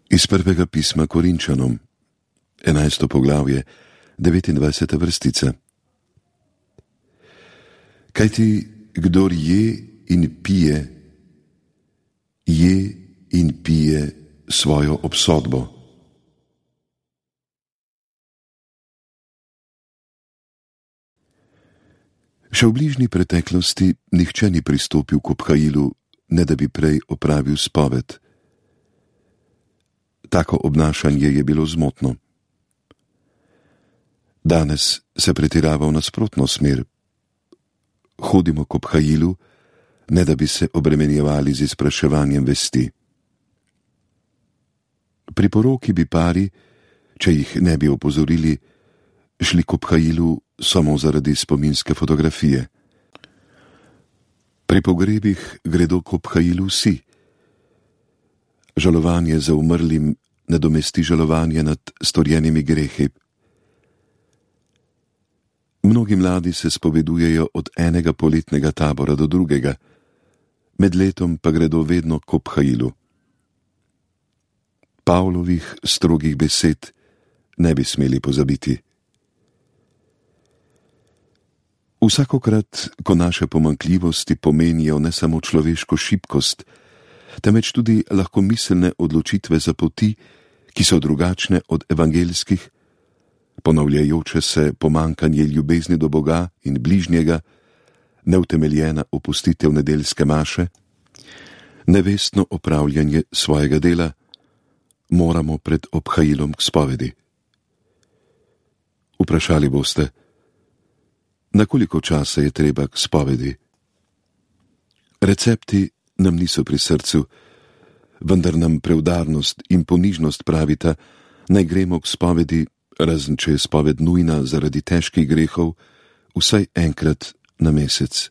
Iz prvega pisma Korinčanom, 11. poglavje, 29. vrstica. Kajti, kdor je in pije svojo obsodbo. Še v bližnji preteklosti nihče ni pristopil k obhajilu, ne da bi prej opravil spoved. Tako obnašanje je bilo zmotno. Danes se pretirava v nasprotno smer. Hodimo k obhajilu, ne da bi se obremenjevali z izpraševanjem vesti. Pri poroki bi pari, če jih ne bi opozorili, šli k obhajilu samo zaradi spominske fotografije. Pri pogrebih gredo k obhajilu vsi. Žalovanje za umrlim nadomesti žalovanje nad storjenimi grehi. Mnogi mladi se spovedujejo od enega poletnega tabora do drugega, med letom pa gredo vedno k obhajilu. Pavlovih strogih besed ne bi smeli pozabiti. Vsakokrat, ko naše pomanjkljivosti pomenijo ne samo človeško šibkost, temveč tudi lahkomiselne odločitve za poti, ki so drugačne od evangeljskih, ponavljajoče se pomanjkanje ljubezni do Boga in bližnjega, neutemeljena opustitev nedeljske maše, nevestno opravljanje svojega dela, moramo pred obhajilom k spovedi. Vprašali boste, na koliko časa je treba k spovedi? Recepti nam niso pri srcu, vendar nam preudarnost in ponižnost pravita, naj gremo k spovedi, razen če je spoved nujna zaradi težkih grehov, vsaj enkrat na mesec.